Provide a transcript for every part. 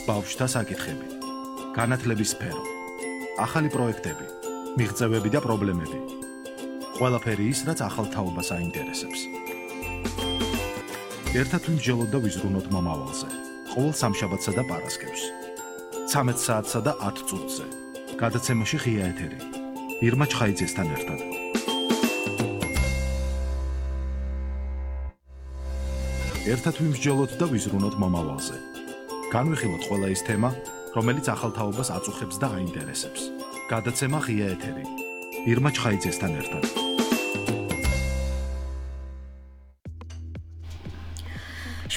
ბავშვთა საკითხები, განათლების სფერო, ახალი პროექტები, მიღწევები და პრობლემები. ყველაფერი ის, რაც ახალ თაობას აინტერესებს. ერთად ვიმსჯელოთ და ვიზრუნოთ მომავალზე. ყოველ სამშაბათსა და პარასკევს. 13 საათსა და 10 წუთზე. გადაცემაში ღია ეთერი. ირმა ჩხაიძესთან ერთად. ერთად ვიმსჯელოთ და ვიზრუნოთ მომავალზე. განვიხილოთ ყველა ის თემა, რომელიც ახალ თაობას აწუხებს და აინტერესებს. გადაცემა ღია ეთერი. ირმა ჩხაიძესთან ერთად.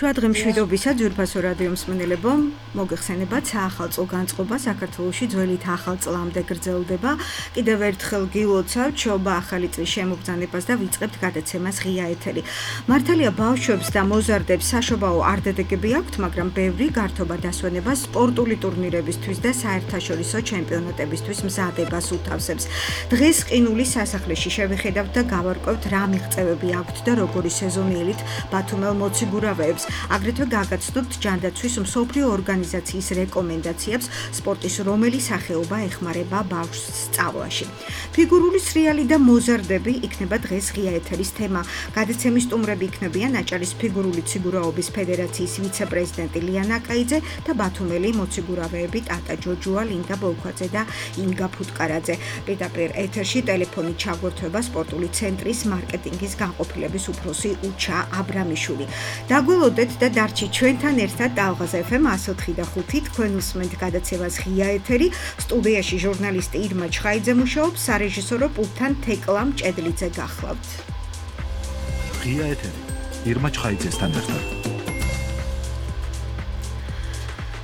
შვადღე მშვიდობისა ძვირფასო რადიო მსმენელებო, მოგეხსენებათ საახალწლო განწყობა საქართველოში ძველით ახალ წლამდე გრძელდება. კიდევ ერთხელ გილოცავთ შობა ახალი წლის შემოგზანებას და ვიწყებთ გადაცემას ღია ეთერი. მართალია ბავშვებს და მოზარდებს საშობაო არდადეგები აქვთ, მაგრამ ბევრი გართობა დასვენება სპორტული ტურნირებისთვის და საერთაშორისო ჩემპიონატებისთვის მზადებას უთავსებს. დღეს ყინულის სასახლეში შევიხედავთ და გავარკვევთ რა მიღწევები აქვთ და როგორი სეზონიელით ბათუმელ მოციგურავეებს. აგრეთვე გაგაცნობთ ჯანდაცვის მსოფლიო ორგანიზაციის რეკომენდაციებს სპორტის რომელი სახეობა ეხმარება ბავშვს სწავლაში. ფიგურული სრიალი და მოზარდები იქნება დღეს ღია ეთერის თემა. გადაცემის სტუმრები იქნებიან აჭარის ფიგურული ციგურაობის ფედერაციის ვიცე-პრეზიდენტი ლიანა კაიძე და ბათუმელი მოციგურავეები ტატა ჯოჯუა, ლინდა ბოლქვაძე და ინგა ფუტკარაძე. პირდაპირ ეთერში ტელეფონით ჩაგვერთვება სპორტული ცენტრის მარკეტინგის განყოფილების უფროსი უჩა აბრამიშვილი. დაგველოდეთ და დარჩი ჩვენთან ერთად ტალღაზ FM 104 და 5 თქვენ უსმენთ გადაცემას ღია ეთერი. სტუდიაში ჟურნალისტი ირმა ჩხაიძე მუშაობს, სარეჟისორო პულტთან თეკლა მჭედლიძე გახლავთ. ღია ეთერი. ირმა ჩხაიძესთან ერთად.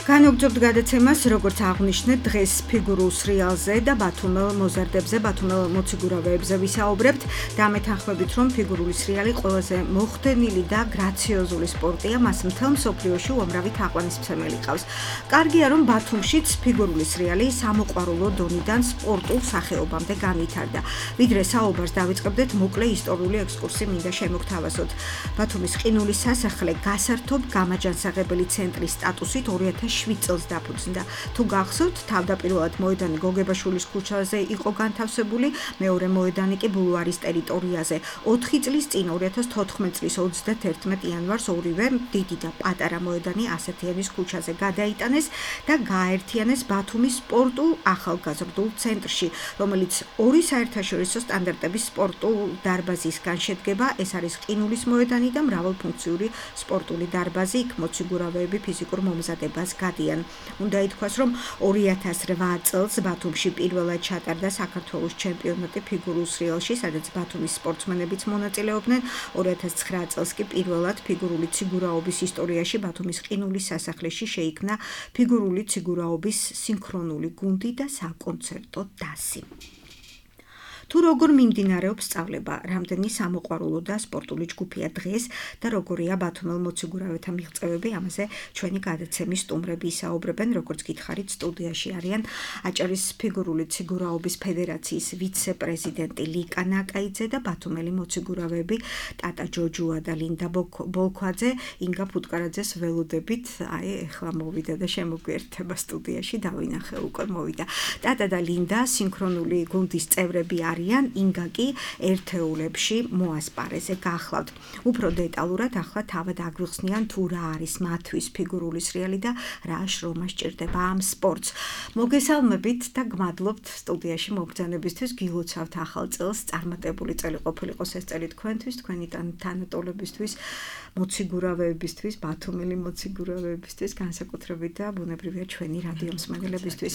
განვგრძობთ გადაცემას, როგორც აღვნიშნეთ, დღეს ფიგურულ სრიალზე და ბათუმელ მოზარდებზე, ბათუმელ მოციგურავეებზე ვისაუბრებთ. დამეთანხმებით, რომ ფიგურული სრიალი ყველაზე მოხდენილი და გრაციოზული სპორტია, მას მთელ მსოფლიოში უამრავი თაყვანისმცემელი ყავს. კარგია, რომ ბათუმშიც ფიგურული სრიალი სამოყვარულო დონიდან სპორტულ სახეობამდე განვითარდა. ვიდრე საუბარს დავიწყებდეთ, მოკლე ისტორიული ექსკურსი მინდა შემოგთავაზოთ. ბათუმის ყინულის სასახლე გასართობ გამაჯანსაღებელი ცენტრის სტატუსით 2007 წელს დაფუძნდა. თუ გახსოვთ, თავდაპირველად მოედანი გოგებაშვილის ქუჩაზე იყო განთავსებული, მეორე მოედანი კი ბულვარის ტერიტორიაზე. 4 წლის წინ 2014 წლის 31 იანვარს ორივე დიდი და პატარა მოედანი ასეთიანის ქუჩაზე გადაიტანეს და გააერთიანეს ბათუმის სპორტულ ახალგაზრდულ ცენტრში, რომელიც ორი საერთაშორისო სტანდარტების სპორტულ დარბაზისგან შედგება. ეს არის ყინულის მოედანი და მრავალფუნქციური სპორტული დარბაზი, იქ მოციგურავეები ფიზიკურ მომზადებას გადიან. უნდა ითქვას, რომ 2008 წელს ბათუმში პირველად ჩატარდა საქართველოს ჩემპიონატი ფიგურულ სრიალში, სადაც ბათუმის სპორტსმენებიც მონაწილეობდნენ. 2009 წელს კი პირველად ფიგურული ციგურაობის ისტორიაში ბათუმის ყინულის სასახლეში შეიქმნა ფიგურული ციგურაობის სინქრონული გუნდი და საკონცერტო დასი. თუ როგორ მიმდინარეობს სწავლება, რამდენი სამოყვარულო და სპორტული ჯგუფია დღეს და როგორია ბათუმელ მოციგურავეთა მიღწევები, ამაზე ჩვენი გადაცემის სტუმრები ისაუბრებენ, როგორც გითხარით, სტუდიაში არიან აჭარის ფიგურული ციგურაობის ფედერაციის ვიცე-პრეზიდენტი ლიკანა კაიძე და ბათუმელი მოციგურავეები ტატა ჯოჯუა და ლინდა ბოლქვაძე. ინგა ფუტკარაძეს ველოდებით, ეხლა მოვიდა და შემოგვიერთება სტუდიაში, დავინახე უკვე მოვიდა. ტატა და ლინდა სინქრონული გუნდის წევრები არიან, ინგა კი ერთეულებში მოასპარეზე გახლავთ. უფრო დეტალურად ახლა თავად აგვიხსნიან თუ რა არის მათთვის ფიგურული სრიალი და რა შრომა სჭირდება ამ სპორტს. მოგესალმებით და გმადლობთ სტუდიაში მობრძანებისთვის. გილოცავთ ახალ წელს, წარმატებული წელი ყოფილიყოს ეს წელი თქვენთვის, თქვენი თანატოლებისთვის, მოციგურავეებისთვის, ბათუმელი მოციგურავეებისთვის, განსაკუთრებით და ბუნებრივია ჩვენი რადიო მსმენელებისთვის.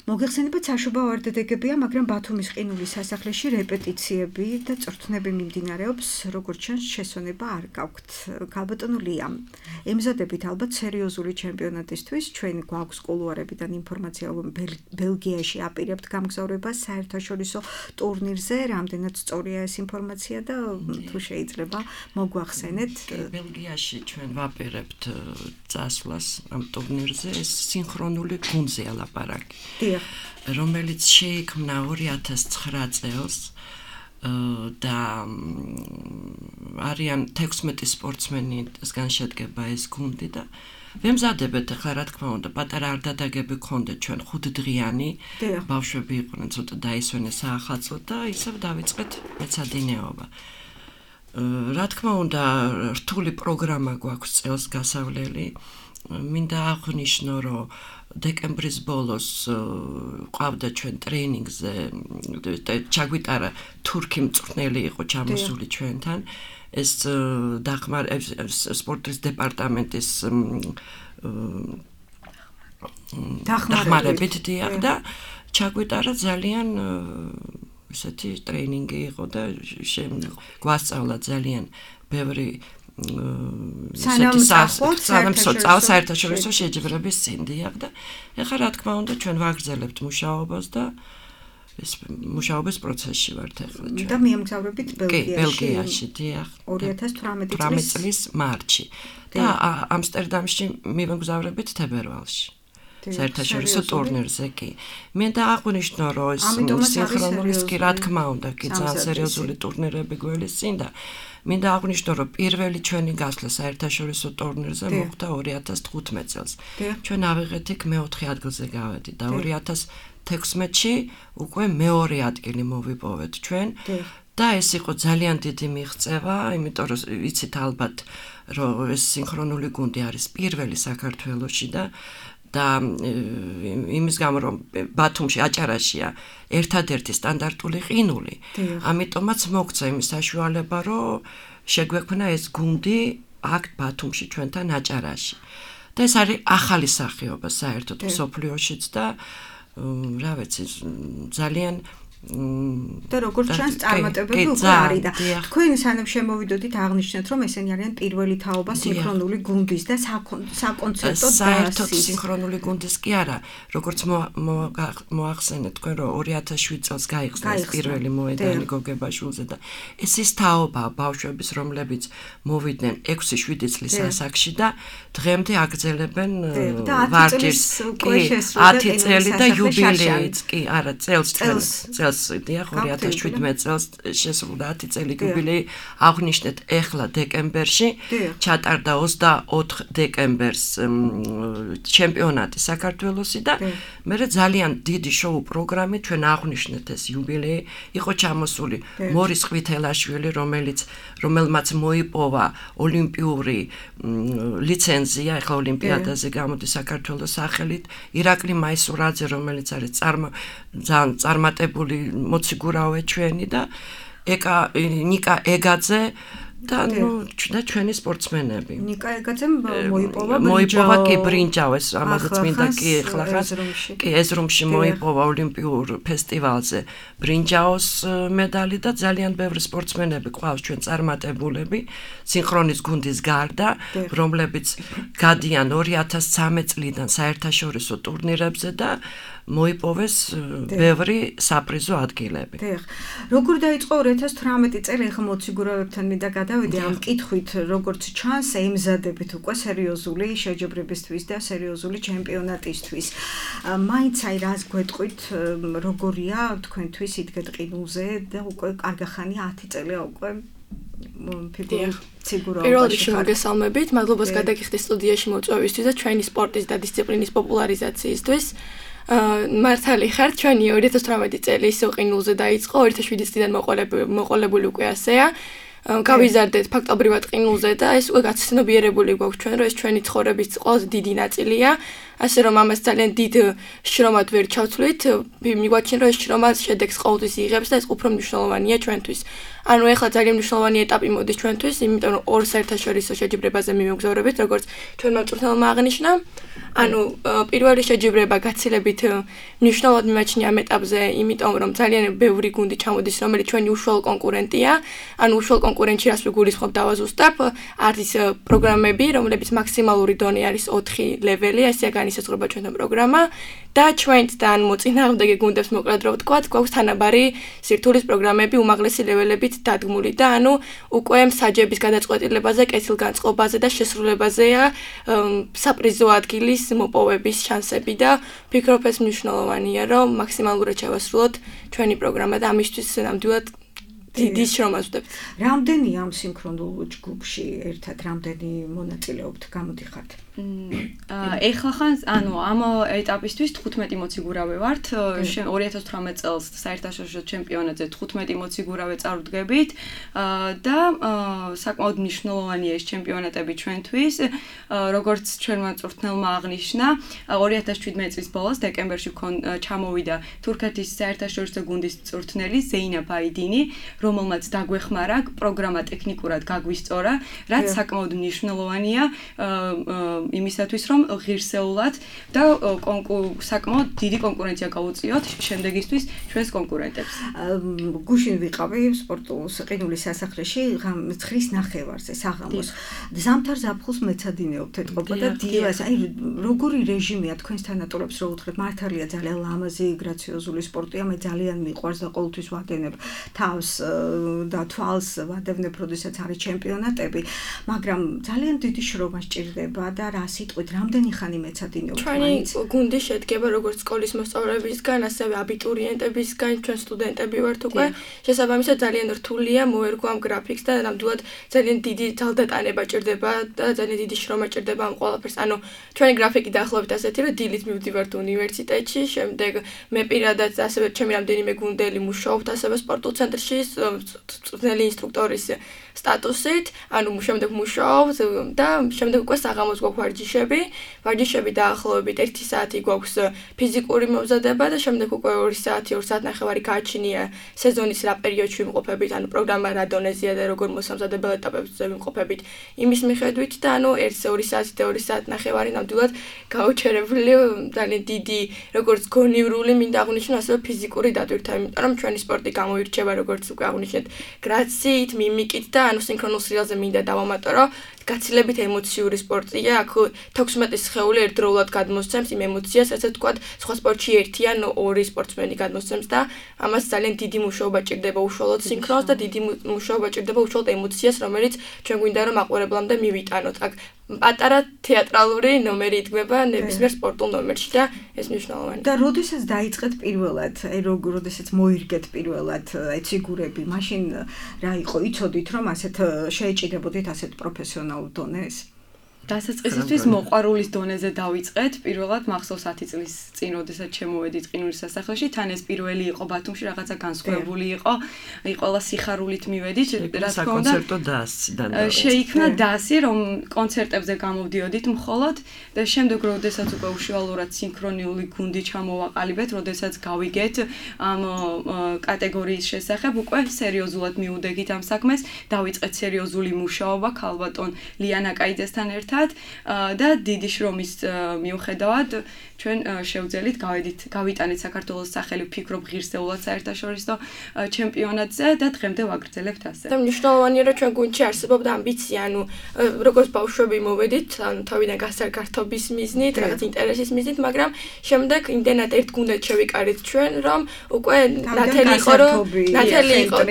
მოგეხსენებათ, საშობაო არდადეგებია, მაგრამ ბათუმის ყინულის სასახლეში რეპეტიციები და წვრთნები მიმდინარეობს, როგორც ჩანს, შესვენება არ გაქვთ. ქალბატონო ლია, ემზადებით ალბათ სერიოზული ჩემპიონატისთვის, ჩვენ გვაქვს კულუარებიდან ინფორმაცია, რომ ბელგიაში აპირებთ გამგზავრებას საერთაშორისო ტურნირზე, რამდენად სწორია ეს ინფორმაცია და თუ შეიძლება მოგვახსენეთ. ბელგიაში ჩვენ ვაპირებთ წასვლას ამ ტურნირზე, ეს სინქრონული გუნდზეა ლაპარაკი. რომელიც შეიქმნა 2009 წელს და არიან 16 სპორტსმენისგან შედგება ეს გუნდი და ვემზადებეთ ახლა რა თქმა უნდა პატარა არდადაგები გქონდეთ ჩვენ 5 დღიანი ბავშვები იყვნენ ცოტა დაისვენეს საახალწლოდ და ისევ დავიწყეთ მეცადინეობა რა თქმა უნდა რთული პროგრამა გვაქვს წელს გასავლელი მინდა აღვნიშნო რომ დეკემბრის ბოლოს ყავდა ჩვენ ტრეინინგზე ჩაგვიტარა თურქი მწვრთნელი იყო ჩამოსული ჩვენთან ეს სპორტის დეპარტამენტის დახმარებით დიახ და ჩაგვიტარა ძალიან ესეთი ტრეინინგი იყო და გვასწავლა ძალიან ბევრი საერთაშორისო შეჯიბრების წინ დიახ და ეხლა რა თქმა უნდა ჩვენ ვაგრძელებთ მუშაობას და ეს მუშაობის პროცესში ვართ ახლა ჩვენ. და მიემგზავრებით ბელგიაში, დიახ. 2018 წლის მარტში. და ამსტერდამში მივემგზავრებით თებერვალში. საერთაშორისო ტურნირზე კი. მე და აღვნიშნო რომ ეს სინქრონული კი რა თქმა უნდა კი ძალიან სერიოზული ტურნირები გველისწინ და მინდა აღვნიშნო რომ პირველი ჩვენი გასვლა საერთაშორისო ტურნირზე მოხდა 2015 წელს. ჩვენ ავიღეთ იქ მე-4 ადგილზე გავედით და 2016-ში უკვე მეორე ადგილი მოვიპოვეთ ჩვენ და ეს იყო ძალიან დიდი მიღწევა, იმიტომ რომ ვიცით ალბათ რომ ეს სინქრონული გუნდი არის პირველი საქართველოში და იმის გამო რომ ბათუმში აჭარაშია ერთადერთი სტანდარტული ყინული. ამიტომაც მოგცა იმის საშუალება რომ შეგვექმნა ეს გუნდი აქ ბათუმში ჩვენთან აჭარაში. და ეს არის ახალი სახეობა საერთოდ მსოფლიოშიც და რა ვიცი ძალიან და როგორც ჩანს წარმატებები უკვე არის და თქვენ სანამ შემოვიდოდით აღნიშნეთ რომ ესენი არიან პირველი თაობა სინქრონული გუნდის და საკონცერტო საერთოდ სინქრონული გუნდის კი არა როგორც მოახსენეთ თქვენ რომ 2007 წელს გაიხსნა ეს პირველი მოედანი გოგებაშვილზე და ეს ის თაობა ბავშვების რომლებიც მოვიდნენ 6-7 წლის ასაკში და დღემდე აგრძელებენ ვარჯიშს 10 წელი და იუბილეიც კი არა წელს დიახ 2017 წელს შესრულდა 10 წელი იუბილეი აღნიშნეთ ეხლა დეკემბერში ჩატარდა 24 დეკემბერს ჩემპიონატი საქართველოსი და მე ძალიან დიდი შოუ პროგრამით ჩვენ აღნიშნეთ ეს იუბილეი იყო ჩამოსული მორის ყვითელაშვილი რომელმაც მოიპოვა ოლიმპიური ლიცენზია ეხლა ოლიმპიადაზე გამოდის საქართველოს სახელით ირაკლი მაისურაძე რომელიც არის ძალიან წარმატებული მოციგურავე ჩვენი და ნიკა ეგაძე და ჩვენი სპორტსმენები. ნიკა ეგაძემ მოიპოვა კი ბრინჯაოს, ამაზეც მინდა კი ეხლა კი ეზრუმში მოიპოვა ოლიმპიურ ფესტივალზე ბრინჯაოს მედალი და ძალიან ბევრი სპორტსმენები ყავს ჩვენ წარმატებულები სინქრონის გუნდის გარდა, რომლებიც გადიან 2013 წლიდან საერთაშორისო ტურნირებზე და მოიპოვეს ბევრი საპრიზო ადგილები. დიახ. როგორ დაიწყო 2018 წელი ახლა მოციგურავებთან მინდა გადავიდე ამ კითხვით, როგორც ჩანს, ემზადებით უკვე სერიოზული შეჯიბრებისთვის და სერიოზული ჩემპიონატისთვის. მაინც აი რას გვეტყვით, როგორია თქვენთვის იდგეთ ყინულზე და უკვე კარგახანი 10 წელია უკვე პირველ რიგში მოგესალმებით, მადლობას გადაგიხდით სტუდიაში მოწვევისთვის და ჩვენი სპორტის და დისციპლინის პოპულარიზაციისთვის. მართალი ხართ ჩვენი 2018 წელი ისო ყინულზე დაიწყო 2007 წლიდან მოყოლებული უკვე ასეა გავიზარდეთ ფაქტობრივად ყინულზე და ეს უკვე გაცნობიერებული გვაქვს ჩვენ რომ ეს ჩვენი ცხოვრების ყველაზე დიდი ნაწილია ასე რომ ამას ძალიან დიდ შრომად ვერ ჩავთვლით მიგვაჩნია რომ ეს შრომა შედეგს ყოველთვის იღებს და ეს უფრო მნიშვნელოვანია ჩვენთვის ანუ ეხლა ძალიან მნიშვნელოვანი ეტაპი მოდის ჩვენთვის იმიტომ რომ ორ საერთაშორისო შეჯიბრებაზე მივემგზავრებით როგორც ჩვენმა მწვრთნელმა აღნიშნა ანუ პირველი შეჯიბრება გაცილებით მნიშვნელოვნად მიმაჩნია ამ ეტაპზე იმიტომ რომ ძალიან ბევრი გუნდი ჩამოდის რომელიც ჩვენი უშუალო კონკურენტია ანუ უშუალო კონკურენტში რას ვიგულისხმობ დავაზუსტებ არის პროგრამები რომლებიც მაქსიმალური დონე არის 4 ლეველი ესეა განისაზღვრება ჩვენთან პროგრამა და ჩვენთან მოწინააღმდეგე გუნდებს მოკლედ რო ვთქვათ გვაქვს თანაბარი სირთულის პროგრამები უმაღლესი ლეველებით დადგმული და ანუ უკვე მსაჯების გადაწყვეტილებაზე კეთილგანწყობაზე და შესრულებაზეა საპრიზო ადგილის მოპოვების შანსები და ვფიქრობ ეს მნიშვნელოვანია რომ მაქსიმალურად შევასრულოთ ჩვენი პროგრამა და ამისთვის ნამდვილად დიდი შრომა ვსვდებთ. რამდენი ამ სინქრონულ ჯგუფში ერთად რამდენი მონაწილეობთ გამოდიხართ? ეხლა ხან ანუ ამ ეტაპისთვის 15 მოციგურავე ვართ 2018 წელს საერთაშორისო ჩემპიონატზე 15 მოციგურავე წარუდგებით და საკმაოდ მნიშვნელოვანია ეს ჩემპიონატები ჩვენთვის როგორც ჩვენმა წვრთნელმა აღნიშნა 2017 წლის ბოლოს დეკემბერში ჩამოვიდა თურქეთის საერთაშორისო გუნდის წვრთნელი ზეინა ბაიდინი რომელმაც დაგვეხმარა პროგრამა ტექნიკურად გაგვისწორა რაც საკმაოდ მნიშვნელოვანია იმისათვის რომ ღირსეულად და საკმაოდ დიდი კონკურენცია გაუწიოთ შემდეგისთვის ჩვენს კონკურენტებს. გუშინ ვიყავი სპორტულ ყინულის სასახლეში ცხრის ნახევარზე საღამოს. ზამთარ ზაფხულს მეცადინეობთ ეთყობა და დილას აი როგორი რეჟიმია თქვენს თანატოლებს რო უთხრეთ მართალია ძალიან ლამაზი გრაციოზული სპორტია მე ძალიან მიყვარს და ყოველთვის ვადენებ თავს და თვალს ვადევნებ როდესაც არის ჩემპიონატები მაგრამ ძალიან დიდი შრომა სჭირდება და რა სიტყვით რამდენი ხანი მეცადინეობთ ჩვენი გუნდი შედგება როგორც სკოლის მოსწავლეებისგან ასევე აბიტურიენტებისგან ჩვენ სტუდენტები ვართ უკვე შესაბამისად ძალიან რთულია მოერგო ამ გრაფიკს და ნამდვილად ძალიან დიდი ძალდატანება ჭირდება და ძალიან დიდი შრომა ჭირდება ამ ყველაფერს ანუ ჩვენი გრაფიკი დაახლოებით ასეთი რომ დილით მივდივართ უნივერსიტეტში შემდეგ მე პირადად ასევე ჩემი რამდენიმე გუნდელი მუშაობთ ასევე სპორტულ ცენტრში წვრთნელი ინსტრუქტორის სტატუსით ანუ შემდეგ მუშაობთ და შემდეგ უკვე საღამოს გვაქვს ვარჯიშები დაახლოებით 1 საათი გვაქვს ფიზიკური მომზადება და შემდეგ უკვე 2 საათი 2 საათნახევარი გააჩნია სეზონის რა პერიოდში ვიმყოფებით ანუ პროგრამა რა დონეზეა და როგორ მოსამზადებელ ეტაპებზე ვიმყოფებით იმის მიხედვით და ანუ 1 საათი და 2 საათნახევარი ნამდვილად გაუჩერებული ძალიან დიდი როგორც გონივრული მინდა აღნიშნო ასევე ფიზიკური დატვირთვა იმიტომ რომ ჩვენი სპორტი გამოირჩევა როგორც უკვე აღნიშნეთ გრაციით მიმიკით და ანუ სინქრონულ სრიალზე მინდა დავამატო გაცილებით ემოციური სპორტია, აქ 16 სხეული ერთდროულად გადმოსცემს იმ ემოციას, რასაც თქვა სხვა სპორტში 1 ან 2 სპორტსმენი გადმოსცემს და ამას ძალიან დიდი მუშაობა ჭირდება უშუალოდ სინქრონს და დიდი მუშაობა ჭირდება უშუალოდ ემოციას, რომელიც ჩვენ გვინდა რომ მაყურებლამდე მივიტანოთ. აქ პატარა თეატრალური ნომერი იდგმება ნებისმიერ სპორტულ ნომერში და ეს მნიშვნელოვანია. და როდესაც დაიწყეთ პირველად, აი როდესაც მოირგეთ პირველად ეციგურები, მაშინ რა იყო, იცოდით რომ ასეთ შეეჭიდებოდით ასეთ პროფესიონალურ დონეს? დასაწყისისთვის მოყვარულის დონეზე დავიწყეთ. პირველად მახსოვს 10 წლის წინ, როდესაც შემოვედით ყინულის სასახლეში, თან ეს პირველი იყო ბათუმში, რაღაცა განსხვავებული იყო. ყველა სიხარულით მივედით, რა თქმა უნდა. კონცერტო დასიდან. შეიქმნა დასი, რომ კონცერტებზე გამოვდიოდით მხოლოდ და შემდეგ როდესაც უკვე უშუალურად სინქრონიული გუნდი ჩამოვაყალიბეთ, როდესაც გავიგეთ ამ კატეგორიის შესახებ, უკვე სერიოზულად მიუდეგით ამ საქმეს, დავიწყეთ სერიოზული მუშაობა ქალბატონ ლიანა კაიძესთან ერთად. და დიდი შრომის მიუხედავად ჩვენ შევძელით გავიტანეთ საქართველოს სახელი ვფიქრობ ღირსეულად საერთაშორისო ჩემპიონატზე და დღემდე ვაგრძელებთ ასე. და მნიშვნელოვანია რომ ჩვენ გუნდში არსებობდა ამბიცია, ანუ როგორც ბავშვები მოვედით, ანუ თავიდან გასარგართობის მიზნით, რაღაც ინტერესის მიზნით, მაგრამ შემდეგ იმდენად ერთ გუნდად შევიკარით ჩვენ, რომ უკვე ნათელი იყო,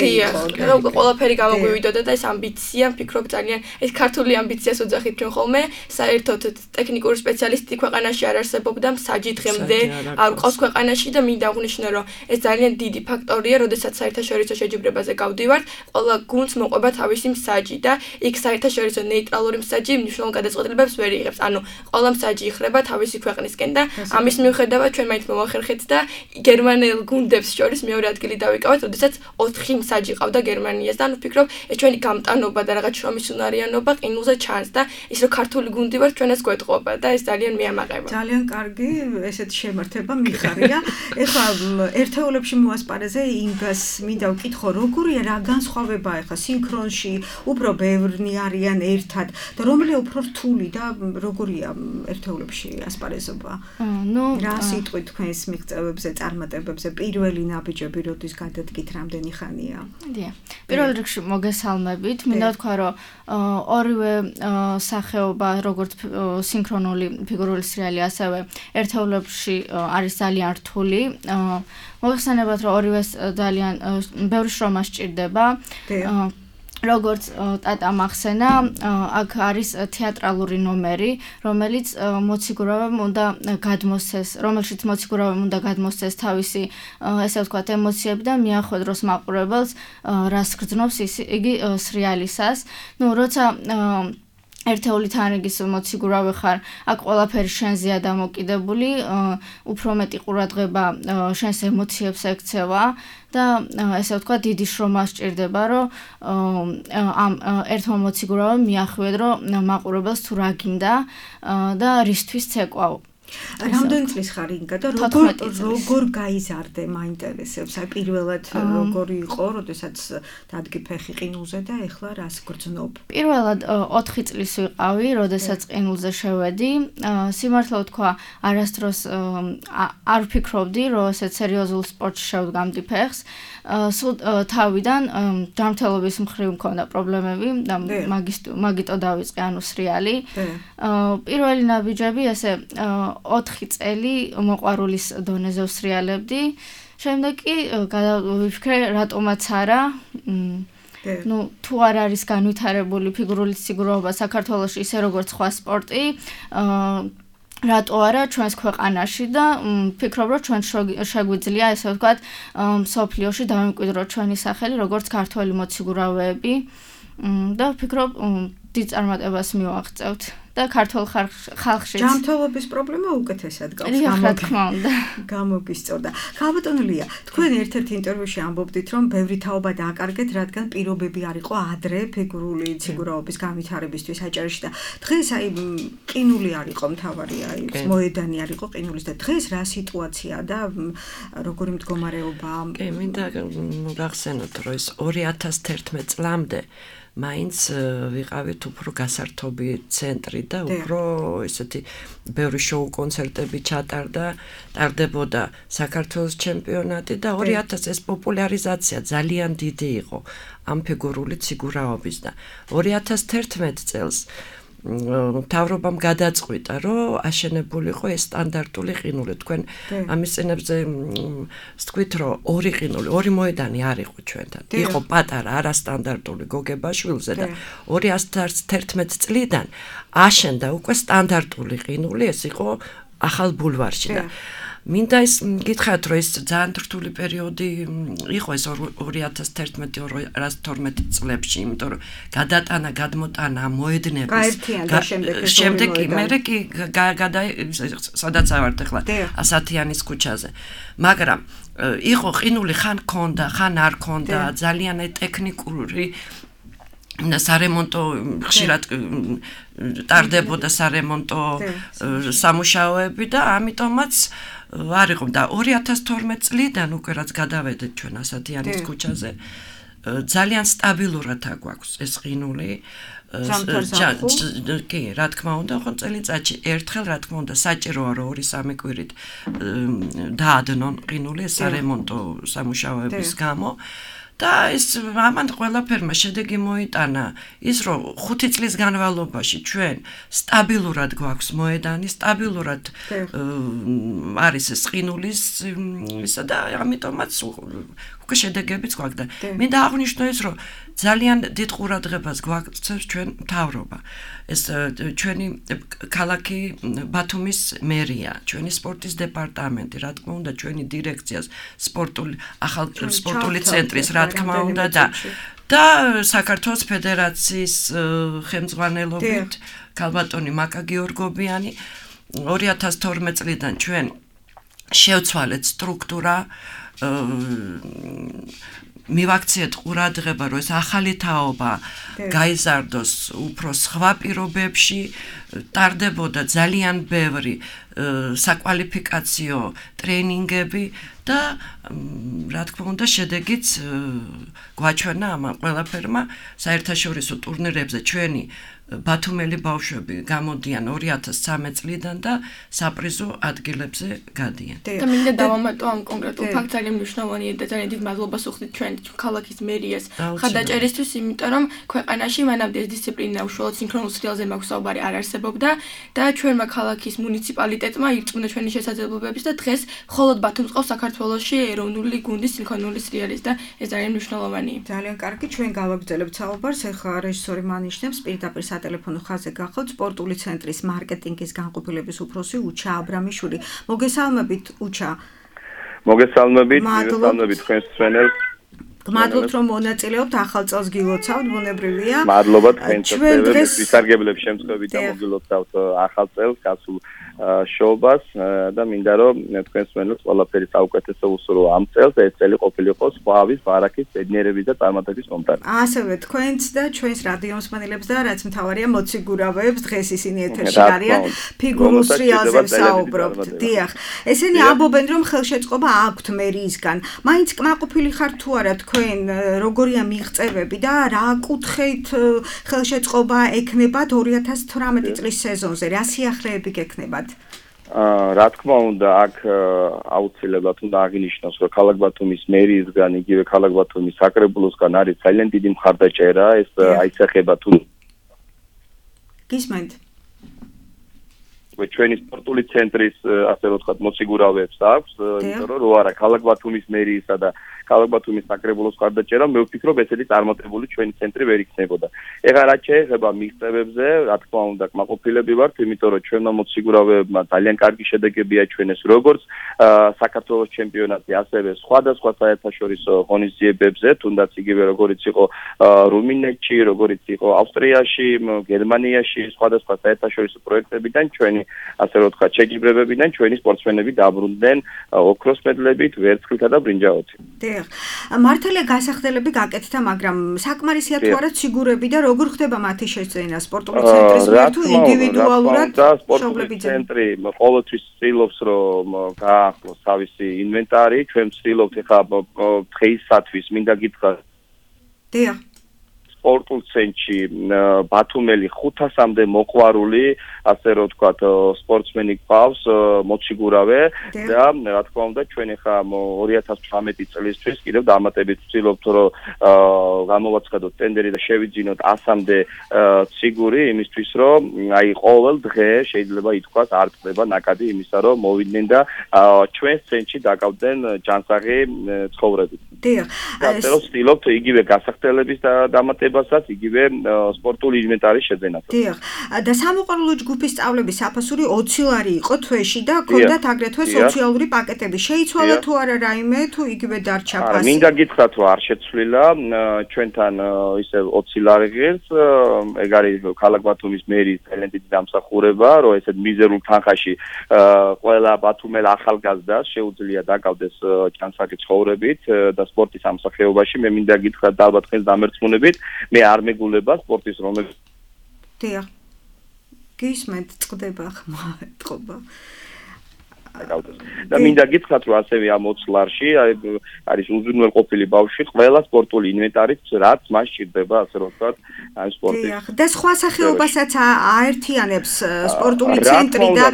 რომ ყველაფერი გამოგვივიდოდა და ეს ამბიცია, ვფიქრობ ძალიან ეს ქართული ამბიციას უძახით ჩვენ ხოლმე, საერთოდ ტექნიკური სპეციალისტი ქვეყანაში არ არსებობდა, მსაჯი დღემდე არ ყავს ქვეყანაში და მინდა აღნიშნო, რომ ეს ძალიან დიდი ფაქტორია, როდესაც საერთაშორისო შეჯიბრებაზე გავდივართ, ყველა გუნდს მოყვება თავისი მსაჯი და იქ საერთაშორისო ნეიტრალური მსაჯი მნიშვნელოვან გადაწყვეტილებებს ვერ იღებს. ანუ ყველა მსაჯი იხრება თავისი ქვეყნისკენ და ამის მიუხედავად ჩვენ მაინც მოვახერხეთ და გერმანელ გუნდებს შორის მეორე ადგილი დავიკავეთ, როდესაც 4 მსაჯი ყავდა გერმანიას და ანუ ვფიქრობ, ეს ჩვენი გამტანობა და რაღაც შრომის უნარიანობა ყინულზე ჩანს და ის რომ ქართული გუნდი ვარ ჩვენას გვეტყობა და ეს ძალიან მიამაყება. ძალიან კარგი ესეთი შემართება მიხარია. ეხლა ერთეულებში მოასპარეზე იმას მინდა ვკითხო, როგორია რა განსხვავება ეხლა სინქრონში, უფრო ბევრნი არიან ერთად და რომელი უფრო რთული და როგორია ერთეულებში ასპარეზობა? რა სიტყვით თქვენს მიღწევებზე, წარმატებებზე პირველი ნაბიჯები როდის გადადგით, რამდენი ხანია? დიახ. პირველ რიგში მოგესალმებით. მინდა ვთქვა, რომ ორივე სახეობა, როგორც სინქრონული ფიგურული სრიალი, ასევე ერთეულებში არის ძალიან რთული. მოგეხსენებათ, რომ ორივეს ძალიან ბევრი შრომა სჭირდება. როგორც ტატა მახსენა, აქ არის თეატრალური ნომერი, რომელიც მოციგურავემ უნდა გადმოსცეს, რომელშიც მოციგურავემ უნდა გადმოსცეს თავისი, ესე ვთქვათ, ემოციები და მიახვედროს მაყურებელს, რას გრძნობს იგი სრიალისას. როცა ერთეული თანრიგის მოციგურავი ხარ, აქ ყველაფერი შენზეა დამოკიდებული, უფრო მეტი ყურადღება შენს ემოციებს ექცევა და ესე ვთქვა, დიდი შრომა სჭირდება, რომ ამ ერთმა მოციგურავამ მიახვიოთ, რომ მაყურებელს თუ რა გინდა და რისთვის ცეკვავ. რამდენი წლის ხარ ინგა და როგორ გაიზარდე მაინტერესებს? აი პირველად როგორი იყო, როდესაც დადგი ფეხი ყინულზე და ეხლა რას გრძნობ? პირველად 4 წლის ვიყავი, როდესაც ყინულზე შევედი. სიმართლე ვთქვა, არასდროს არ ვფიქრობდი, რომ ესეთ სერიოზულ სპორტში შევდგამდი ფეხს. სულ თავიდან ჯანმრთელობის მხრივ მქონდა პრობლემები და მაგიტო დავიწყე ანუ სრიალი. პირველი ნაბიჯები ესე 4 წელი მოყვარულის დონეზე ვსრიალებდი. შემდეგ კი გადავიფიქრე, რატომაც არა. თუ არ არის განვითარებული ფიგურული სიგურაობა საქართველოში ისე როგორც სხვა სპორტი, რატო არა ჩვენს ქვეყანაში და ვფიქრობ, რომ ჩვენ შეგვიძლია ესე ვთქვათ, მსოფლიოში დავიმკვიდროთ ჩვენი სახელი როგორც ქართველი მოციგურავეები და ვფიქრობ, დიდ წარმატებას მივაღწევთ. და ქართულ ხალხშიც ჯანმრთელობის პრობლემა უკეთესად გამოგისწორდა. ქალბატონო ლია, თქვენ ერთ-ერთ ინტერვიუში ამბობდით, რომ ბევრი თაობა დააკარგეთ, რადგან პირობები არ იყო ადრე ფიგურული სიგურაობის განვითარებისთვის აჭარაში და დღეს აი ყინული არ იყო მთავარი, აი მოედანი არ იყო ყინულის და დღეს რა სიტუაციაა და როგორი მდგომარეობაა? კი, მინდა გახსენოთ, რომ ეს 2011 წლამდე მაინც ვიყავით უფრო გასართობი ცენტრი და უფრო ესეთი ბევრი შოუ კონცერტები ტარდებოდა საქართველოს ჩემპიონატი და 2000 ეს პოპულარიზაცია ძალიან დიდი იყო ამ ფიგურული სიგურაობის და 2011 წელს მთავრობამ გადაწყვიტა, რომ აშენებულიყო ეს სტანდარტული ყინული. თქვენ ამის წინებზე ვთქვით, რომ ორი ყინული, ორი მოედანი არ იყო ჩვენთან. იყო პატარა არასტანდარტული გოგებაშვილზე და 2011 წლიდან აშენდა უკვე სტანდარტული ყინული, ეს იყო ახალ ბულვარში და მინდა ის გითხრათ, რომ ეს ძალიან რთული პერიოდი იყო ეს 2011-2012 წლებში, იმიტომ რომ გადატანა, გადმოტანა მოედნების შემდეგ კი მერე კი სადაც ავართ ახლა ასათიანის ქუჩაზე. მაგრამ იყო ყინული ხან ქონდა, ხან არ ქონდა, ძალიან ტექნიკური სარემონტო ხშირად ტარდებოდა სარემონტო სამუშაოები და ამიტომაც არ იყო და 2012 წლიდან უკვე რაც გადავედეთ ჩვენ ასათიანის ქუჩაზე ძალიან სტაბილურად აგვაქვს ეს ყინული კი, რა თქმა უნდა, ხო წელიწადში ერთხელ რა თქმა უნდა საჭიროა რომ 2-3 კვირით დაადნონ ყინული სარემონტო სამუშაოების გამო და ეს ამან ყველაფერმა შედეგი მოიტანა ის რომ 5 წლის განმავლობაში ჩვენ სტაბილურად გვაქვს მოედანი, სტაბილურად არის ეს ყინულის ისა და ამიტომაც უკვე შედეგებიც გვაქვს და მინდა აღვნიშნო ის რომ ძალიან დიდ ყურადღებას გვაქცევს ჩვენ მთავრობა. ეს ჩვენი ქალაქი ბათუმის მერია, ჩვენი სპორტის დეპარტამენტი, რა თქმა უნდა, ჩვენი დირექციას სპორტული ცენტრის, რა თქმა უნდა და საქართველოს ფედერაციის ხელმძღვანელობით ქალბატონი მაკა გიორგობიანი 2012 წლიდან ჩვენ შევცვალეთ სტრუქტურა მივაქციეთ ყურადღება, რომ ეს ახალი თაობა გაიზარდოს უფრო სხვა პირობებში, ტარდებოდა ძალიან ბევრი საკვალიფიკაციო ტრენინგები და რა თქმა უნდა შედეგიც გვაჩვენა ამ ყველაფერმა საერთაშორისო ტურნირებზე ჩვენი ბათუმელი ბავშვები გამოდიან 2013 წლიდან და საპრიზო ადგილებზე გადიან. და მინდა დავამატო ამ კონკრეტულ ფაქტს, ძალიან მნიშვნელოვანია და ძალიან დიდ მადლობას ვუხდით ჩვენ ქალაქის მერიას ხადაჭერისთვის, იმიტომ რომ ქვეყანაში მანამდე ეს დისციპლინა უშუალოდ სინქრონულ სრიალზე მაქვს საუბარი არ არსებობდა და ჩვენმა ქალაქის მუნიციპალიტეტმა ირწმუნა ჩვენი შესაძლებლობების და დღეს მხოლოდ ბათუმს ყავს საქართველოში ეროვნული გუნდის სინქრონული სრიალის და ეს ძალიან მნიშვნელოვანია. ძალიან კარგი, ჩვენ გავაგრძელებთ საუბარს, ახლა რეჟისორი მანიშნებს პირდაპირ სატელეფონო ხაზზე გახლავთ სპორტული ცენტრის მარკეტინგის განყოფილების უფროსი უჩა აბრამიშვილი. მოგესალმებით უჩა. მოგესალმებით თქვენს ჩვენელს. გმადლობთ რომ მონაწილეობთ ახალ წელს გილოცავთ ბუნებრივია მადლობა თქვენს ვისარგებლებ შემთხვევით და მოგილოცავთ ახალ წელს გასულ შოუბას და მინდა რომ თქვენს მენელს ყველაფერი საუკეთესო უსურვო ამ წელს ეს წელი ყოფილიყო სხვავის ბარაქის ბედნიერების და წარმატების მომტანი ასევე თქვენს და ჩვენს რადიო მსმენელებს და რაც მთავარია მოციგურავებს დღეს ისინი ეთერში არიან ფიგურულ სრიალზე ვსაუბრობთ დიახ ესენი ამბობენ რომ ხელშეწყობა აქვთ მერიისგან მაინც კმაყოფილი ხართ თუ არა თქვენ როგორია მიღწევები და რა კუთხით ხელშეწყობა ექნებათ 2018 წლის სეზონზე რა სიახლეები გექნებათ რა თქმა უნდა აქ აუცილებლად უნდა აღინიშნოს რომ ქალაქ ბათუმის მერიისგან იგივე ქალაქ ბათუმის საკრებულოსგან არის ძალიან დიდი მხარდაჭერა ეს აისახება თუ გისმენთ ჩვენი სპორტული ცენტრის ასე რომ ვთქვათ მოციგურავებს აქვს იმიტომ რომ რო არა ქალაქ ბათუმის მერიისა და ქალაქ ბათუმის საკრებულოს მხარდაჭერა მე ვფიქრობ ესეთი წარმატებული ჩვენი ცენტრი ვერ იქნებოდა ეხლა რაც შეეხება მიღწევებზე რა თქმა უნდა კმაყოფილები ვართ იმიტომ რომ ჩვენმა მოციგურავებმა ძალიან კარგი შედეგები აჩვენეს როგორც საქართველოს ჩემპიონატზე ასევე სხვადასხვა საერთაშორისო ღონისძიებებზე თუნდაც იგივე როგორც იყო რუმინეთში როგორც იყო ავსტრიაში გერმანიაში სხვადასხვა საერთაშორისო პროექტებიდან ჩვენი ასე რომ ვთქვათ შეგიბრებებიდან ჩვენი სპორტსმენები დაბრუნდნენ ოქროს მედლებით ვერცხლითა და ბრინჯაოთი მართალია გასახდელები გაკეთდა, მაგრამ საკმარისია თუ არა ციგურები და როგორ ხდება მათი შეძენა სპორტული ცენტრის მიერ თუ ინდივიდუალურად სპორტული ცენტრი ყოველთვის ცდილობს რომ გააახლოს თავისი ინვენტარი, ჩვენ ვცდილობთ ეხლა დღეისათვის მინდა გითხრათ დიახ სპორტულ ცენტრში ბათუმელი 500-მდე მოყვარული, ასე რომ ვთქვათ, სპორტსმენი გვყავს, მოციგურავე და რა თქმა უნდა ჩვენ ახლა 2018 წლისთვის კიდევ დამატებით ვცდილობთ რომ გამოვაცხადოთ ტენდერი და შევიძინოთ 100-მდე ციგური იმისთვის რომ აი ყოველ დღე შეიძლება ითქვას არ წდება ნაკადი იმისა რომ მოვიდნენ და ჩვენს ცენტრში დაკავდნენ ჯანსაღი ცხოვრებით. დიახ. ასე რომ ვცდილობთ იგივე გასახდელების დამატებასაც, იგივე სპორტული ინვენტარის შეძენას. დიახ. და სამოყვარულო ჯგუფის სწავლების საფასური 20 ლარი იყო თვეში და ჰქონდათ აგრეთვე სოციალური პაკეტები. შეიცვალა თუ არა რაიმე თუ იგივე დარჩა ფასი? მინდა გითხრათ რომ არ შეცვლილა, ჩვენთან ისე 20 ლარი ღირს, ეგ არის ქალაქ ბათუმის მერის ძალიან დიდი დამსახურება, რომ ესეთ მიზერულ თანხაში ყველა ბათუმელ ახალგაზრდას შეუძლია დაკავდეს ჯანსაღი ცხოვრებით და სპორტის ამსახეობაში. მე მინდა გითხრათ და ალბათ ხელს დამერწმუნებით, მე არ მეგულება სპორტის რომელიც დიახ. გისმენთ წდება ხმა ეთყობა. და მინდა გითხრათ რომ ასევე ამ 20 ლარში არის უზრუნველყოფილი ბავშვი ყველა სპორტული ინვენტარით რაც მას სჭირდება ასე რომ ვთქვათ ამ სპორტის. დიახ. და სხვა სახეობასაც აერთიანებს სპორტული ცენტრი და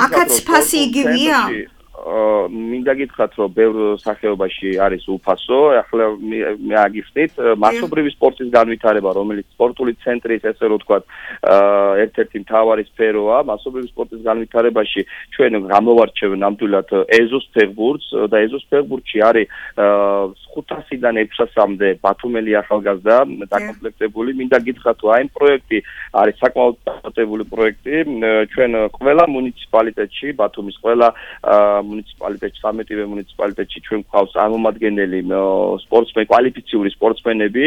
აქაც ფასი იგივეა? მინდა გითხრათ რომ ბევრ სახეობაში არის უფასო, ახლა მე აგიხსნით მასობრივი სპორტის განვითარება, რომელიც სპორტული ცენტრის ესე რომ ვთქვათ ერთ-ერთი მთავარი სფეროა, მასობრივი სპორტის განვითარებაში ჩვენ გამოვარჩევ ნამდვილად ეზოს ფეხბურთს და ეზოს ფეხბურთში არის 500-დან 600-მდე ბათუმელი ახალგაზრდა დაკომპლექტებული. მინდა გითხრათ რომ აი ამ პროექტი არის საკმაოდ დამატებული პროექტი, ჩვენ ყველა მუნიციპალიტეტში, ბათუმის ყველა მუნიციპალიტეტში, 13-ვე მუნიციპალიტეტში ჩვენ გვყავს წარმომადგენელი სპორტსმენი, კვალიფიციური სპორტსმენები,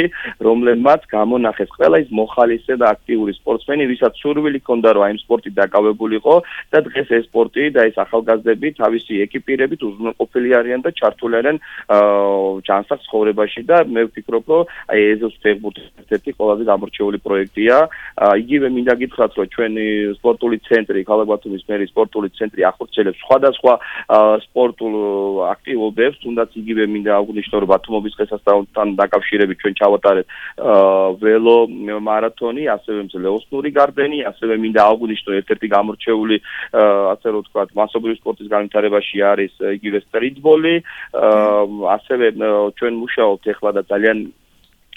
რომლებმაც გამონახეს ყველა ის მოხალისე და აქტიური სპორტსმენი, ვისაც სურვილი ჰქონდა რომ აი ამ სპორტით დაკავებულიყო და დღეს ეს სპორტი და ეს ახალგაზრდები თავისი ეკიპირებით უზრუნველყოფილი არიან და ჩართული არიან ჯანსაღ ცხოვრებაში და მე ვფიქრობ რომ აი ეზოს ფეხბურთის ერთ-ერთი ყველაზე გამორჩეული პროექტია. იგივე მინდა გითხრათ რომ ჩვენი სპორტული ცენტრი, ქალაქ ბათუმის მერის სპორტული ცენტრი ახორციელებს სხვადასხვა სპორტულ აქტივობებს, თუნდაც იგივე მინდა აღვნიშნო რომ ბათუმობის დღესასწაულთან დაკავშირებით ჩვენ ჩავატარეთ ველო მარათონი, ასევე მძლეოსნური გარდენი, ასევე მინდა აღვნიშნო ერთ-ერთი გამორჩეული ასე რომ ვთქვათ მასობრივი სპორტის განვითარებაში არის იგივე სტრიტბოლი, ასევე ჩვენ მუშაობთ ეხლა და ძალიან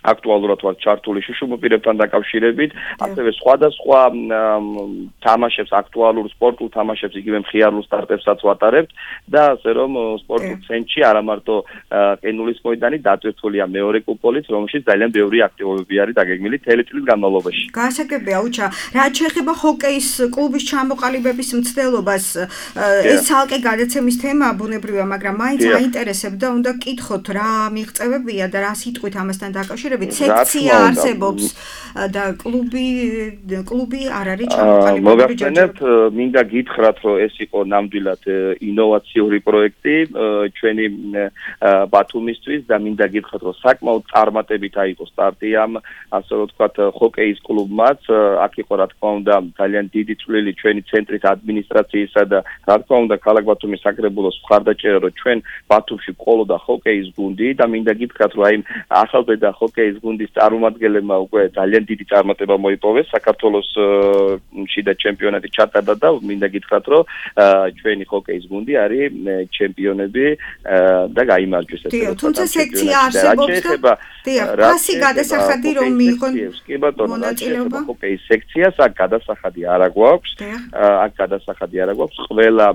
აქტუალურად ვარ ჩართული შუშუმოპირებთან დაკავშირებით, ასევე სხვადასხვა თამაშებს, აქტუალურ სპორტულ თამაშებს, იგივე მხიარულ სტარტებსაც ვატარებთ და ასე რომ სპორტულ ცენტრში არა მარტო ყინულის მოედანი დატვირთულია მეორე კუპოლით, რომელშიც ძალიან ბევრი აქტივობები არის დაგეგმილი მთელი წლის განმავლობაში. Გასაგებია, უჩა, რაც შეეხება ჰოკეის კლუბის ჩამოყალიბების მცდელობას, ეს ცალკე გადაცემის თემაა ბუნებრივია, მაგრამ მაინც აინტერესებდა, უნდა გკითხოთ რა მიღწევებია და რა სიტყვით ამასთან დაკავშირებით, სექცია არსებობს და კლუბი არ არის ჩამოყალიბებული. მოგახსენებთ, მინდა გითხრათ, რომ ეს იყო ნამდვილად ინოვაციური პროექტი ჩვენი ბათუმისთვის და მინდა გითხრათ, რომ საკმაოდ წარმატებით აიღო სტარტი ამ, ასე რომ ვთქვათ, ჰოკეის კლუბმაც. აქ იყო რა თქმა უნდა ძალიან დიდი წვლილი ჩვენი ცენტრის ადმინისტრაციისა და რა თქმა უნდა ქალაქ ბათუმის საკრებულოს მხარდაჭერა, რომ ჩვენ ბათუმში ყოლოდა ჰოკეის გუნდი და მინდა გითხრათ, რომ აი ახალბედა ჰოკეის გუნდის წარმომადგენლებმა უკვე ძალიან დიდი წარმატება მოიპოვეს საქართველოს შიდა ჩემპიონატი ჩატარდა და მინდა გითხრათ, რომ ჩვენი ჰოკეის გუნდი არის ჩემპიონები და გაიმარჯვეს ეს. თუმცა სექცია არსებობს და ფასი გადასახადი რომ მიიღონ მონაწილეობა ჰოკეის სექციას აქ გადასახადი არ აქვს. აქ გადასახადი არ აქვს. ყველა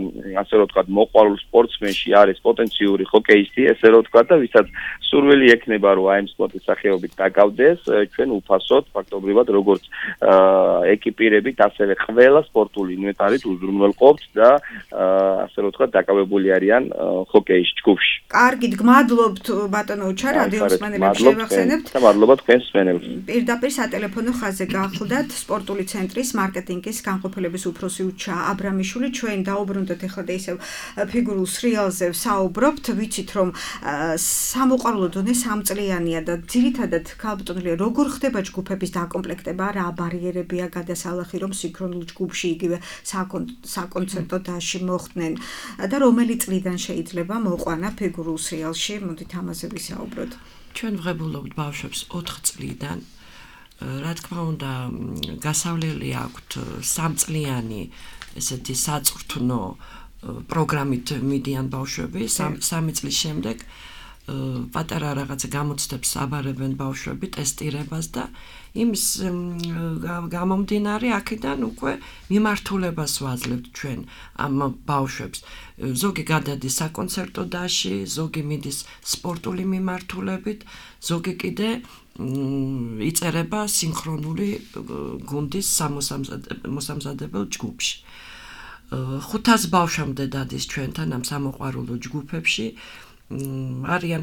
ასე რომ ვთქვათ მოყვარულ სპორტსმენში არის პოტენციური ჰოკეისტი, ესე რომ ვთქვათ და ვისაც სურვილი ექნება რომ აი ამ სპორტის სახეობით დაკავდეს, ჩვენ უფასოდ ფაქტობრივად როგორც ეკიპირებით, ასევე ყველა სპორტული ინვენტარით უზრუნველყოფთ და ასე რომ ვთქვათ დაკავებული არიან ჰოკეის ჯგუფში. კარგით, გმადლობთ ბატონო უჩა რადიოს მსმენელებს შევახსენებთ. და მადლობა თქვენს მსმენელებს. პირდაპირ სატელეფონო ხაზზე გახლდათ სპორტული ცენტრის მარკეტინგის განყოფილების უფროსი უჩა აბრამიშვილი. ჩვენ დაუბრუნდეთ ახლა და ისევ ფიგურულ სრიალზე ვსაუბრობთ. ვიცით რომ სამოყვარულო დონე 3 წლიანია და ძირითადად ქალბატონია როგორ ხდება ჯგუფების დაკომპლექტება, რა ბარიერებია გადასალახი რომ სინქრონულ ჯგუფში იგივე საკონცერტო დასში მოხდნენ და რომელი წლიდან შეიძლება მოყვანა ფიგურულ სრიალში, მოდით ამაზე ვისაუბროთ. ჩვენ ვღებულობთ ბავშვებს 4 წლიდან. რა თქმა უნდა, გასავლელი აქვთ 3 წლიანი ესეთი საწვრთნო პროგრამით მიდიან ბავშვები, 3 წლის შემდეგ პატარა რაღაცა გამოცდებს აბარებენ ბავშვები ტესტირებას და იმის გამომდინარე აქედან უკვე მიმართულებას ვაძლევთ ჩვენ ამ ბავშვებს. ზოგი გადადის საკონცერტო დასში, ზოგი მიდის სპორტული მიმართულებით, ზოგი კიდე იწერება სინქრონული გუნდის მოსამზადებელ ჯგუფში. 500 ბავშვამდე დადის ჩვენთან ამ სამოყვარულო ჯგუფებში. არიან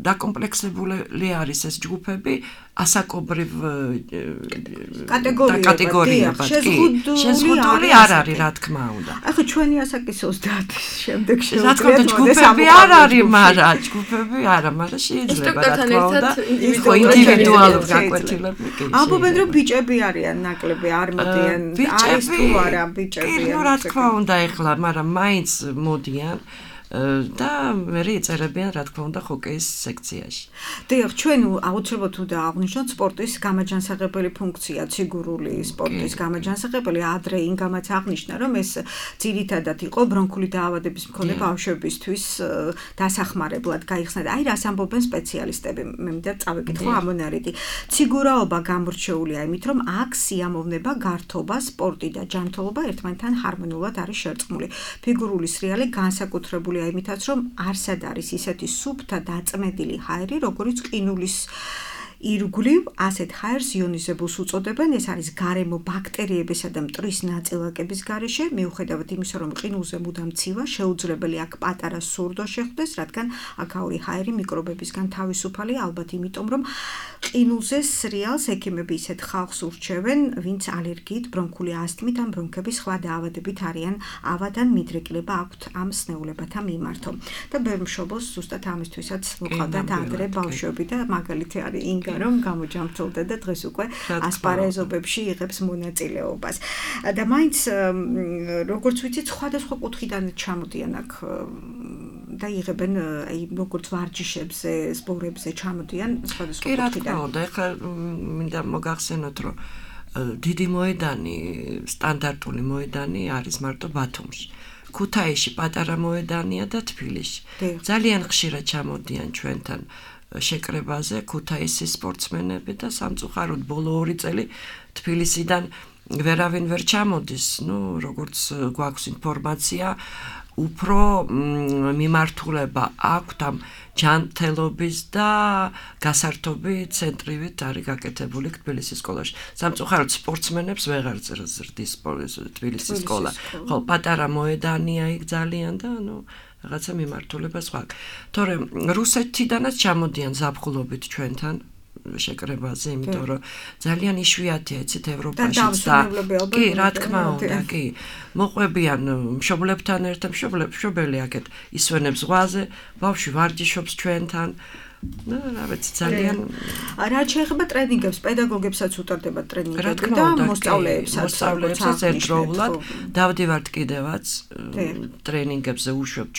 დაკომპლექსებული არის ეს ჯგუფები ასაკობრივ კატეგორიებად. შეზღუდული არ არის, რა თქმა უნდა. ახლა ჩვენი ასაკის 30-ის შემდეგ რა თქმა უნდა ჯგუფები არ არის, მაგრამ ჯგუფები არა, მაგრამ შეიძლება რა თქმა უნდა იყო ინდივიდუალური გაკვეთილები. ამბობენ რომ ბიჭები არიან ნაკლები, არ მოდიან. არის თუ არა ბიჭები? კი, რა თქმა უნდა ეხლა, მაგრამ მაინც მოდიან. და მე ეწერებიან რა თქმა უნდა ჰოკეის სექციაში. დიახ, ჩვენ აუცილებლად უნდა აღვნიშნოთ სპორტის გამაჯანსაღებელი ფუნქცია, ციგურული სპორტის გამაჯანსაღებელი. ადრე ინგამაც აღნიშნა, რომ ეს ძირითადად იყო ბრონქული დაავადების მქონე ბავშვებისთვის დასახმარებლად გაიხსნა და აი რას ამბობენ სპეციალისტები. მე მინდა წავეკითხო ამონარიდი. ციგურაობა გამორჩეულია იმით, რომ აქ სიამოვნება, გართობა, სპორტი და ჯანმრთელობა ერთმანეთთან ჰარმონიულად არის შერწყმული. ფიგურული სრიალი განსაკუთრებული იმითაც რომ არსად არის ისეთი სუფთა დაწმედილი ჰაერი, როგორც ყინულის ირგვლივ ასეთ ჰაერს იონიზებულს უწოდებენ. ეს არის გარემო ბაქტერიებისა და მტვრის ნაწილაკების გარეშე, მიუხედავად იმისა, რომ ყინულზე მუდამ ცივა, შეუძლებელი აქ პატარა სურდო შეხვდეს, რადგან აქაური ჰაერი მიკრობებისგან თავისუფალია, ალბათ იმიტომ, რომ ყინულზე სრიალს ექიმები ისეთ ხალხს ურჩევენ, ვინც ალერგიით, ბრონქული ასთმით ან ბრონქების სხვა დაავადებით არიან ავადან მიდრეკილება აქვთ ამ სნეულებათა მიმართო. და ბევრ მშობელს ზუსტად ამისთვისაც მოყავდათ ადრე ბავშვები და მაგალითი არის ინგა რომ გამოჯამრთელდა და დღეს უკვე ასპარეზობებში იღებს მონაწილეობას. და მაინც როგორც ვიცით, სხვადასხვა კუთხიდან ჩამოდიან აქ და იღებენ აი როგორც ვარჯიშებზე, სპორტებზე ჩამოდიან სხვადასხვა კუთხიდან. კი, რა თქმა უნდა, ეხლა მინდა მოგახსენოთ, რომ დიდი მოედანი, სტანდარტული მოედანი არის მარტო ბათუმში. ქუთაისში პატარა მოედანია და თბილისში. ძალიან ხშირად ჩამოდიან ჩვენთან შეკრებაზე ქუთაისის სპორტსმენები და სამწუხაროდ ბოლო 2 წელი თბილისიდან ვერავინ ვერ ჩამოდის, როგორც გვაქვს ინფორმაცია, უფრო მიმართულება აქვთ ამ ჯანმრთელობის და გასართობი ცენტრივით არის გაკეთებული თბილისის სკოლაში. სამწუხაროდ სპორტსმენებს ვეღარ ზრდის თბილისის სკოლა. ხო, პატარა მოედანია იქ ძალიან და რაღაცა მიმართულება სხვა. თორემ რუსეთიდანაც ჩამოდიან ზაფხულობით ჩვენთან შეკრებაზე, იმიტომ რომ ძალიან იშვიათია იცით ევროპაშიც და კი, რა თქმა უნდა, კი. მოყვებიან მშობლებთან ერთად, მშობელი აქეთ ისვენებს ზღვაზე, ბავშვი ვარჯიშობს ჩვენთან. რა ვიცი, ძალიან რაც შეეხება ტრენინგებს, პედაგოგებსაც უტარდება ტრენინგები და მოსწავლეებსაც ერთდროულად დავდივართ კიდევაც ტრენინგებზე უშვებ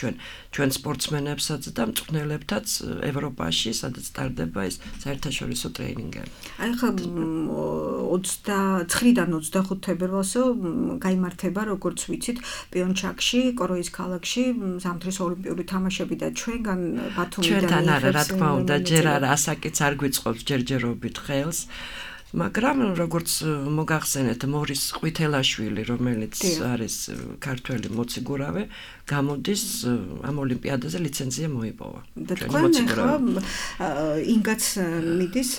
ჩვენ სპორტსმენებსაც და მწვრთნელებთაც ევროპაში, სადაც ტარდება ეს საერთაშორისო ტრენინგები. აი ხა 29-დან 25 თებერვალსო გაიმართება, როგორც ვიცით, პიონჩაკში, კორეის ქალაქში ზამთრის ოლიმპიური თამაშები და ჩვენგან ბათუმიდან ჩვენთან არა, რა თქმა უნდა, ჯერ არა ასაკიც არ გვიწყობს ჯერჯერობით ხელს. მაგრამ როგორც მოგახსენეთ მორის ყვითელაშვილი, რომელიც არის ქართველი მოციგურავე, გამოდის ამ ოლიმპიადაზე ლიცენზია მოიპოვა. და თქვენ ახლა ინგაც მიდის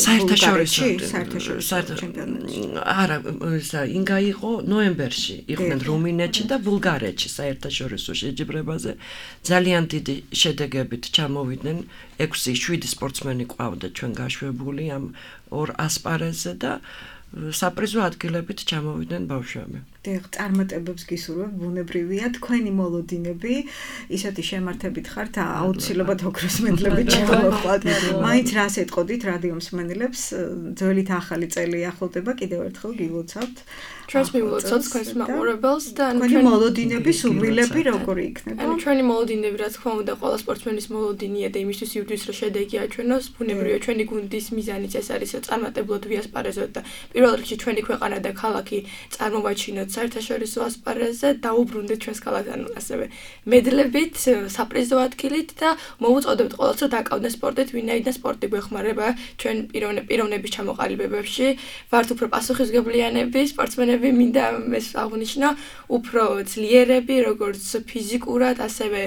საერთაშორისო ჩემპიონატში. არა, ინგა იყო ნოემბერში, იყვნენ რუმინეთში და ბულგარეთში საერთაშორისო შეჯიბრებაზე. ძალიან დიდი შედეგებით ჩამოვიდნენ 6-7 სპორტსმენი ყავდა ჩვენ გაშვებული ამ ორ ასპარეზზე და საპრიზო ადგილებით ჩამოვიდნენ ბავშვები. წარმატებებს გისურვებ, ბუნებრივია, თქვენი მოლოდინები, ისეთი შემართებით ხართ, აუცილებლად ოქროს მედლებით ჩამოვხვალთ. მაინც რას ეტყოდით რადიო მსმენელებს, ძველით ახალი წელი ახლდება, კიდევ ერთხელ გილოცავთ. ჩვენს მივულოცავთ თქვენს მაყურებელს და თქვენი მოლოდინები, სურვილები როგორი იქნება? ჩვენი მოლოდინები, რა თქმა უნდა, ყველა სპორტსმენის მოლოდინია და იმისთვის ივდვის, რომ შედეგი აჩვენოს, ბუნებრივია, ჩვენი გუნდის მიზანიც ეს არის, რომ წარმატებლად ვიასპარეზოთ და პირველ რიგში ჩვენი ქვეყანა და ქალაქი წარმოვაჩინოთ საერთაშორისო ასპარეზზე, დაუბრუნდეთ ჩვენს ქალაქს, ანუ ასევე მედლებით, საპრიზო ადგილით და მოუწოდებთ ყველას, რომ დაკავდნენ სპორტით, ვინაიდან სპორტი გვეხმარება ჩვენ პიროვნების ჩამოყალიბებებში, ვართ უფრო პასუხისმგებლიანები, სპორტსმენები მინდა ეს აღნიშნო, უფრო ძლიერები, როგორც ფიზიკურად, ასევე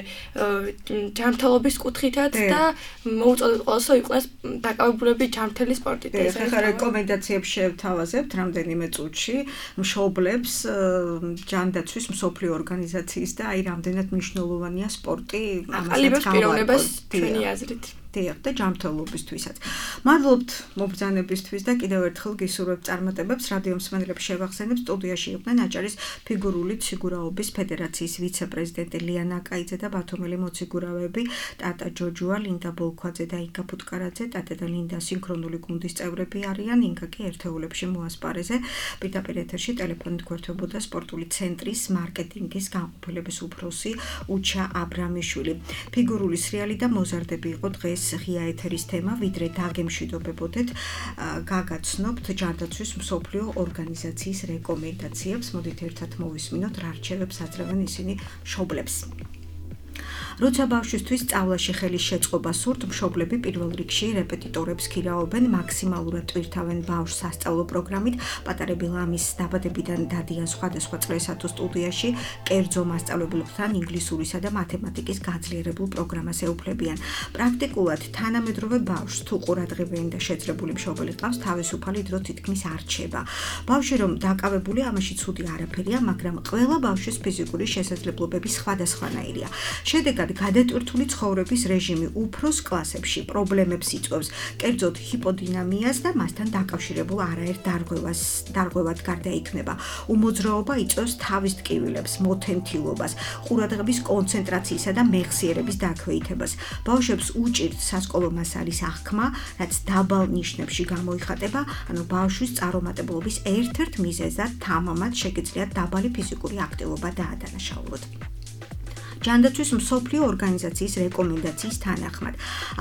ჯანმრთელობის კუთხითაც და მოუწოდებთ ყველას, რომ იყვნენ დაკავებულები ჯანმრთელი სპორტით. ეხლა რეკომენდაციებს შევთავაზებთ რამდენიმე წუთში მშობლებს ჯანდაცვის მსოფლიო ორგანიზაციის და აი რამდენად მნიშვნელოვანია სპორტი ამასაც პიროვნებას ჩვენი აზრით. და ჯანმრთელობისთვისაც. მადლობთ მობრძანებისთვის და კიდევ ერთხელ გისურვებთ წარმატებებს. რადიო მსმენელებს შევახსენებ, სტუდიაში იყვნენ აჭარის ფიგურული ციგურაობის ფედერაციის ვიცე-პრეზიდენტი ლიანა კაიძე და ბათუმელი მოციგურავები ტატა ჯოჯუა, ლინდა ბოლქვაძე და ინგა ფუტკარაძე. ტატა და ლინდა სინქრონული გუნდის წევრები არიან, ინგა კი ერთეულებში მოასპარეზე. პირდაპირ ეთერში ტელეფონით გვერდებოდა სპორტული ცენტრის მარკეტინგის განყოფილების უფროსი უჩა აბრამიშვილი. ფიგურული სრიალი და მოზარდები იყო დღეს ღია ეთერის თემა, ვიდრე დაგემშვიდობებოდეთ, გაგაცნობთ ჯანდაცვის მსოფლიო ორგანიზაციის რეკომენდაციებს. მოდით ერთად მოვისმინოთ, რა რჩევებს აძლევენ ისინი მშობლებს. როცა ბავშვისთვის სწავლაში ხელის შეწყობა სურთ, მშობლები პირველ რიგში რეპეტიტორებს ქირაობენ, მაქსიმალურად ტვირთავენ ბავშვს სასწავლო პროგრამით. პატარები ლამის დაბადებიდან დადიან სხვადასხვა წრესა თუ სტუდიაში, კერძო მასწავლებლებთან ინგლისურისა და მათემატიკის გაძლიერებულ პროგრამას ეუფლებიან. პრაქტიკულად თანამედროვე ბავშვს თუ ყურადღებიანი და შეძრებული მშობელი ყავს, თავისუფალი დრო თითქმის არ რჩება. ბავშვი რომ დაკავებული, ამაში ცუდი არაფერია, მაგრამ ყველა ბავშვის ფიზიკური შესაძლებლობები სხვადასხვანაირია. შედეგად გადატვირთული ცხოვრების რეჟიმი უფროს კლასებში პრობლემებს იწვევს, კერძოდ ჰიპოდინამიას და მასთან დაკავშირებულ არაერთ დარღვევად გარდაიქმნება. უმოძრაობა იწვევს თავის ტკივილებს, მოთენთილობას, ყურადღების კონცენტრაციისა და მეხსიერების დაქვეითებას. ბავშვებს უჭირთ სასკოლო მასალის აღქმა, რაც დაბალ ნიშნებში გამოიხატება, ანუ ბავშვის წარუმატებლობის ერთ-ერთ მიზეზად თამამად შეგიძლიათ დაბალი ფიზიკური აქტივობა დაადანაშაულოთ. ჯანდაცვის მსოფლიო ორგანიზაციის რეკომენდაციის თანახმად.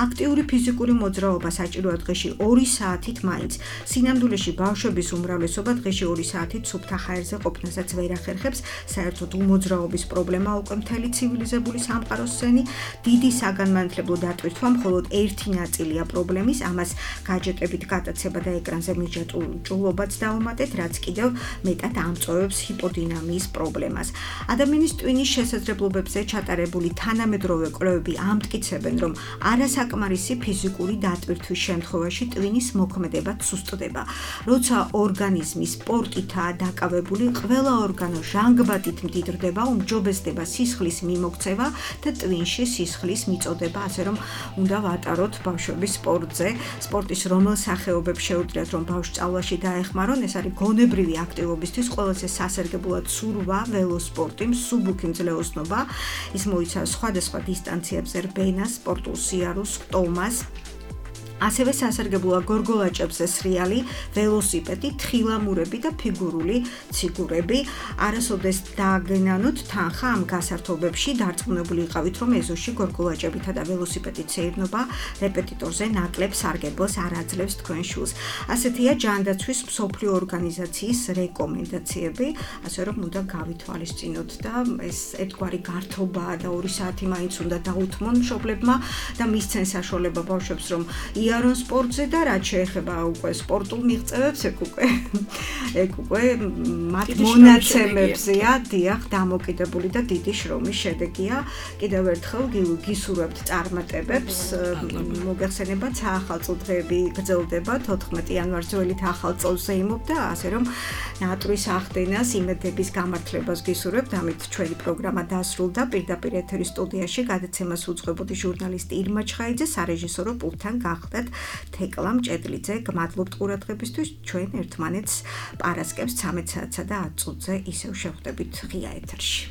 აქტიური ფიზიკური მოძრაობა საჭიროა დღეში 2 საათით მაინც. სინამდვილეში ბავშვების უმრავლესობა დღეში 2 საათით სუფთა ჰაერზე ყოფნასაც ვერ ახერხებს. საერთოდ უმოძრაობის პრობლემა უკვე მთელი ცივილიზებული სამყაროს სენი. დიდი საგანმანათლებლო დატვირთვა მხოლოდ ერთი ნაწილია პრობლემის, ამას გაჯეტებით გატაცება და ეკრანზე მიჯაჭულობაც დავუმატეთ, რაც კიდევ მეტად ამწოვებს ჰიპოდინამიის პრობლემას. ადამიანის ტვინის შესაძლებლობებზე ჩატარებული თანამედროვე კვლევები ამტკიცებენ, რომ არასაკმარისი ფიზიკური დატვირთვის შემთხვევაში ტვინის მოქმედება სუსტდება. როცა ორგანიზმი სპორტითაა დაკავებული, ყველა ორგანო ჟანგბადით მდიდრდება, უმჯობესდება სისხლის მიმოქცევა და ტვინში სისხლის მიწოდება, ასე რომ უნდა ვატაროთ ბავშვების სპორტზე. სპორტის რომელ სახეობებს შეუძლიათ, რომ ბავშვს სწავლაში დაეხმარონ, ეს არის გონებრივი აქტივობისთვის ყველაზე სასარგებლოა ცურვა, ველოსპორტი, მსუბუქი მძლეოსნობა. ის მოიცავს სხვადასხვა დისტანციებზე რბენას, სპორტულ სიარულს, სტომას. ასევე სასარგებლოა გორგოლაჭებზე სრიალი, ველოსიპედი, თხილამურები და ფიგურული ციგურები. არასოდეს დაგენანოთ თანხა ამ გასართობებში, დარწმუნებული იყავით, რომ ეზოში გორგოლაჭებითა და ველოსიპედით სეირნობა რეპეტიტორზე ნაკლებ სარგებელს არ აძლევს თქვენ შულს. ასეთია ჯანდაცვის მსოფლიო ორგანიზაციის რეკომენდაციები, ასე რომ უნდა გავითვალისწინოთ და ეს ერთგვარი გართობაა და 2 საათი მაინც უნდა დაუთმონ მშობლებმა და მისცენ საშუალება ბავშვებს, რომ იარონ სპორტზე და რაც შეეხება უკვე სპორტულ მიღწევებს, ეგ უკვე მათ მონაცემებზეა, დიახ, დამოკიდებული და დიდი შრომის შედეგია. კიდევ ერთხელ გისურვებთ წარმატებებს. მოგეხსენებათ, საახალწლო დღეები გრძელდება 14 იანვარს ძველით ახალ წელს ზეიმობდა, ასე რომ ნატვრის ახდენას, იმედების გამართლებას გისურვებთ. ამით ჩვენი პროგრამა დასრულდა. პირდაპირ ეთერის სტუდიაში გადაცემას უძღვებოდი ჟურნალისტი ირმა ჩხაიძე, სარეჟისორო პულტთან გახდათ თეკლა მჭედლიძე. გმადლობთ ყურადღებისთვის. ჩვენ ერთმანეთს პარასკევს 13 საათსა და 10 წუთზე ისევ შევხვდებით ღია ეთერში.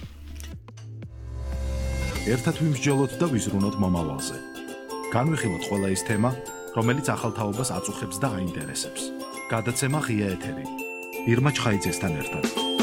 ერთად ვიმსჯელოთ და ვიზრუნოთ მომავალზე. განვიხილოთ ყველა ის თემა, რომელიც ახალ თაობას აწუხებს და აინტერესებს. გადაცემა ღია ეთერი. ირმა ჩხაიძესთან ერთად.